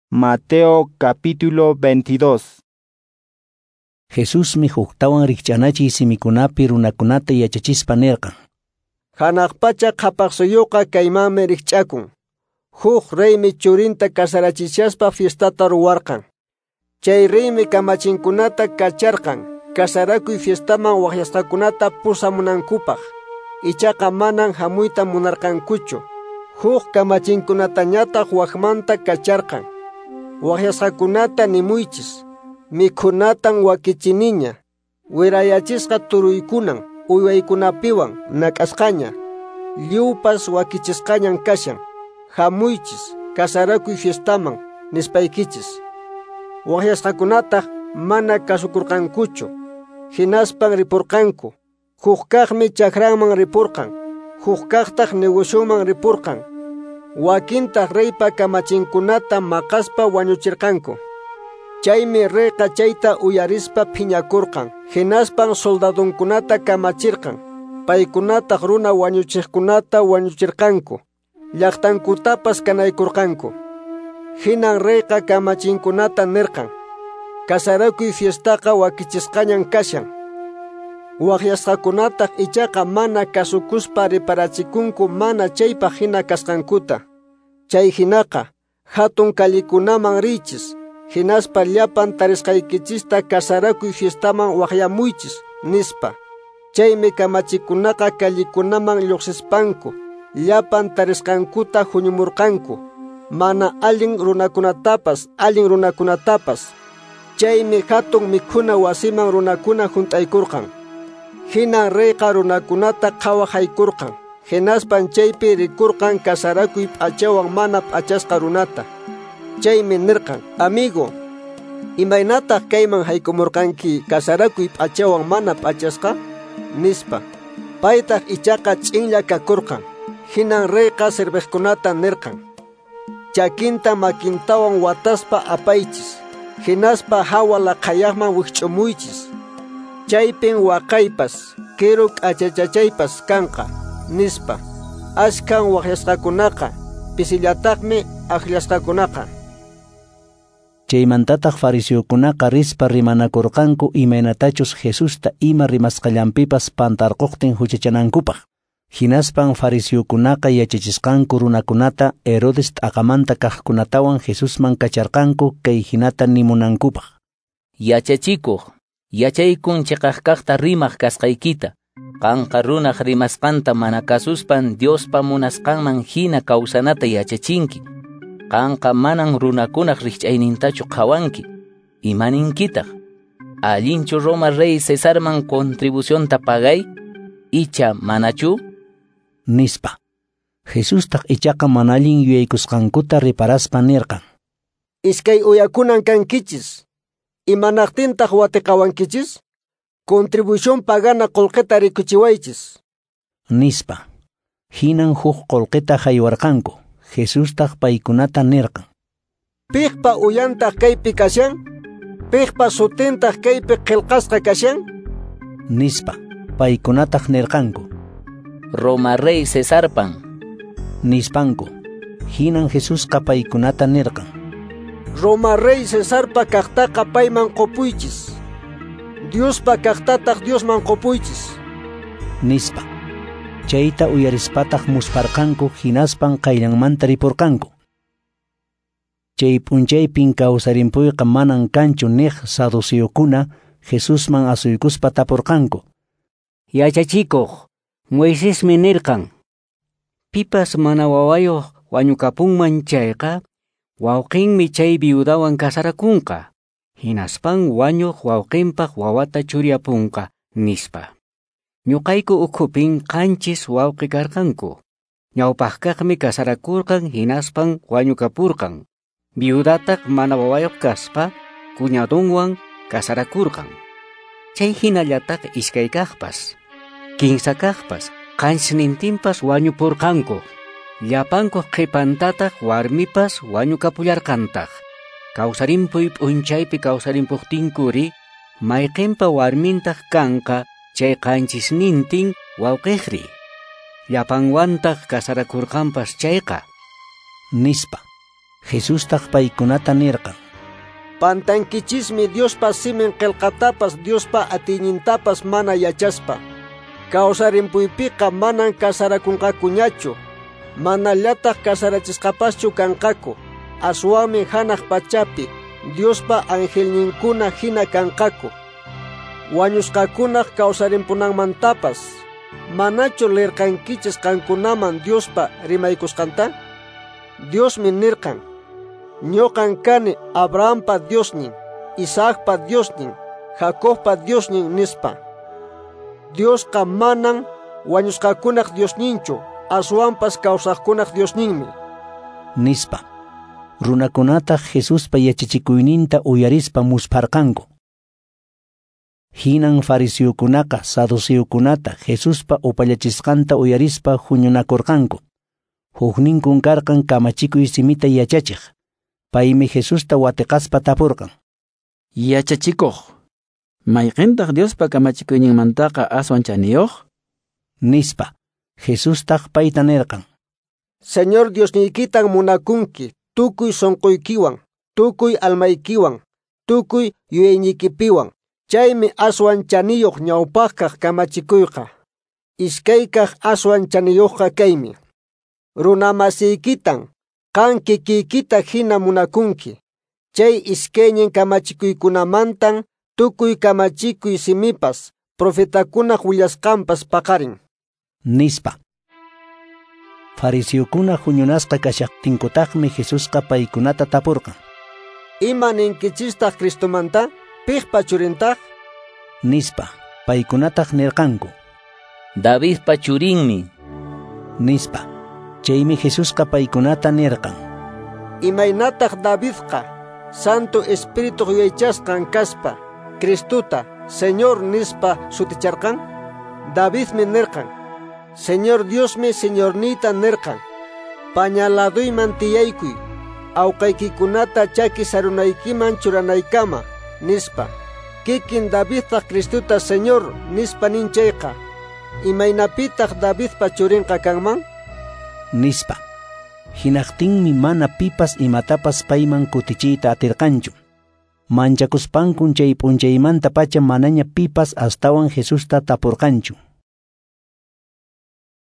Mateo capítulo 22. Jesusmi huktawan rikch'anachiy simikunapi runakunata yachachispa nirqan. Hanaq pacha qhapaq suyuqa kaymanmi rikch'akun. Huk reymi churinta kasarachishaspa fiestata ruwarqan. Chay reymi kamachinkunata kacharqan kasarakuy fiestaman waqyasqakunata pusamunankupaq. Ichaqa manan hamuyta munarqankuchu. Huk kamachinkunatañataq wakmanta kacharqan. Waqyasqakunata nimuychis. Mikhunatan wakichiniña, wirayachisqa turuykunan, uywaykunapiwan nak'asqaña, lliwpas wakichisqañan kashan. Hamuychis, kasarakuy fiestaman, nispaykichis. Waqyasqakunataq mana kasukurqankuchu, hinaspan ripurqanku. Hukkaqmi chakranman ripurqan, hukkaqtaq negocioman ripurqan. Wakintaq reypa kamachinkunata maqaspa wañuchirqanku. Chaymi reyqa chayta uyarispa phiñakurqan, hinaspan soldadunkunata kamachirqan. Paykunataq runa wañuchiqkunata wañuchirqanku, llaqtankutapas kanaykurqanku. Hinan reyqa kamachinkunata nirqan: Kasarakuy fiestaqa wakichisqañan kashan. Waqyasqakunataq ichaqa mana kasukuspa riparachikunku mana chaypaq hina kasqankuta. Chay hinaqa hatun kallikunaman riychis, hinaspa llapan tarisqaykichista kasarakuy fiestaman waqyamuychis, nispa. Chaymi kamachikunaqa kallikunaman lluqsispanku llapan tarisqankuta huñumurqanku, mana allin runakunatapas allin runakunatapas. Chaymi hatun mikhuna wasiman runakuna hunt'aykurqan. Hinan reyqa runakunata qhawahaykurqan, hinaspan chaypi rikurqan kasarakuy p'achawan mana p'achasqa runata. Chaymi nirqan: Amigo, imaynataq kayman haykumurqanki kasarakuy p'achawan mana p'achasqa? Nispa. Paytaq ichaqa ch'inlla kakurqan. Hinan reyqa serviqkunata nirqan: Chakinta makintawan wataspa apaychis, hinaspa hawa laqhayaqman wikch'umuychis. Chaypin waqaypas, kiru k'achachachaypas kanqa, nispa. Ashkan waqyasqakunaqa, pisillataqmi akllasqakunaqa. Chaymantataq fariseokunaqa rispa rimanakurqanku imaynatachus Jesusta ima rimasqallanpipas pantarquqtin huchachanankupaq. Hinaspan fariseokunaqa yachachisqanku runakunata Herodes t'aqamanta kaqkunatawan Jesusman kacharqanku kay hinata nimunankupaq. Yachachikuq, yachaykun chiqaq kaqta rimaq kasqaykita. Qanqa runaq rimasqanta mana kasuspan Diospa munasqanman hina kawsanata yachachinki. Qanqa manan runakunaq rikch'aynintachu qhawanki. Imaninkitaq? Allinchu Roma rey Cesarman contribucionta pagay? Icha manachu? Nispa. Jesustaq ichaqa mana allin yuyaykusqankuta riparaspa nirqan: Iskay uyakunan kankichis. Imanaqtintaq watiqawankichis? Contribución pagana qullqita rikuchiwaychis, nispa. Hinan huk qullqita haywarqanku. Jesustaq paykunata nirqan: Piqpa uyantaq kaypi kashan? Piqpa sutintaq kaypi qillqasqa kashan? Nispa. Paykunataq nirqanku: Roma rey Cesarpan, nispanku. Hinan Jesusqa paykunata nirqan: Roma rey Cesarpa kaqtaqa payman qupuychis, Diospa kaqtataq Diosman qupuychis, nispa. Chayta uyarispataq musparqanku, hinaspan qayllanmanta ripurqanku. Chay p'unchaypin kawsarimpuyqa manan kanchu niq saduceokuna Jesusman asuykuspa tapurqanku: Yachachikuq, Moisesmi nirqan: Pipas mana wawayuq wañukapunman chayqa, wawqinmi chay viudawan kasarakunqa, hinaspan wañuq wawqinpaq wawata churiapunqa, nispa. Ñuqayku ukhupin qanchis wawqi karqanku. Ñawpaqkaqmi kasarakurqan hinaspan wañukapurqan. Viudataq mana wawayuq kaspa cuñadunwan kasarakurqan. Chay hinallataq iskaykaqpas, kinsakaqpas, qanchisnintinpas wañupurqanku. Llapankuq qhipantataq warmipas wañukapullarqantaq. Kawsarimpuy p'unchaypi kawsarimpuqtinkuri, mayqinpa warmintaq kanqa chay qanchisnintin wawqiqri? Llapanwantaq kasarakurqanpas chayqa, nispa. Jesustaq paykunata nirqan: Pantankichismi Diospa simin qillqatapas Diospa atiynintapas mana yachaspa. Kawsarimpuypiqa manan kasarakunqakuñachu, manallataq kasarachisqapaschu kanqaku, aswanmi hanaq pachapi Diospa angelninkuna hina kanqaku. Wañusqakunaq kawsarimpunanmantapas, manachu lirqankichis qankunaman Diospa rimaykusqanta? Diosmi nirqan: Ñuqan kani Abrahampa Diosnin, Isaacpa Diosnin, Jacobpa Diosnin nispa. Diosqa manan wañusqakunaq Diosninchu, aswanpas kawsaqkunaq Diosninmi, nispa. Runakunataq Jesuspa yachachikuyninta uyarispa muspharqanku. Hinan fariseokunaqa saduceokunata Jesuspa upallachisqanta uyarispa huñunakurqanku. Hukninkun karqan kamachikuy simita yachachiq. Paymi Jesusta watiqaspa tapurqan: Yachachikuq, mayqintaq Diospa kamachikuyninmantaqa aswan chaniyuq? Nispa. Jesustaq payta nirqan: Señor Diosniykitan munakunki tukuy sunquykiwan, tukuy almaykiwan, tukuy yuyayniykipiwan. Chaymi aswan chaniyuq ñawpaqkaq kamachikuyqa. Iskaykaq aswan chaniyuqqa kaymi: runamasiykitan qan kikiykita hina munakunki. Chay iskaynin kamachikuykunamantan tukuy kamachikuy simipas, profetakunaq willasqanpas paqarin, nispa. Fariseokuna huñunasqa kashaqtinkutaqmi Jesusqa paykunata tapurqan: Ima ninkichistaq Cristomanta? Piqpa churintaq? Nispa. Paykunataq nirqanku: Davidpa churinmi, nispa. Chaymi Jesusqa paykunata nirqan: Imaynataq Davidqa Santo Espirituq yuyaychasqan kaspa Cristota Señor nispa suticharqan? Davidmi nirqan: Señor Diosmi Señorniyta nirqan: Paña laduyman tiyaykuy, awqaykikunata chaki sarunaykiman churanaykama, nispa. Kikin Davidtaq Cristota Señor nispa nin chayqa, imaynapitaq Davidpa churinqa kanman? Nispa. Hinaqtinmi mana pipas imatapas payman kutichiyta atirqanchu. Manchakuspankun chay p'unchaymantapacha manaña pipas astawan Jesusta tapurqanchu.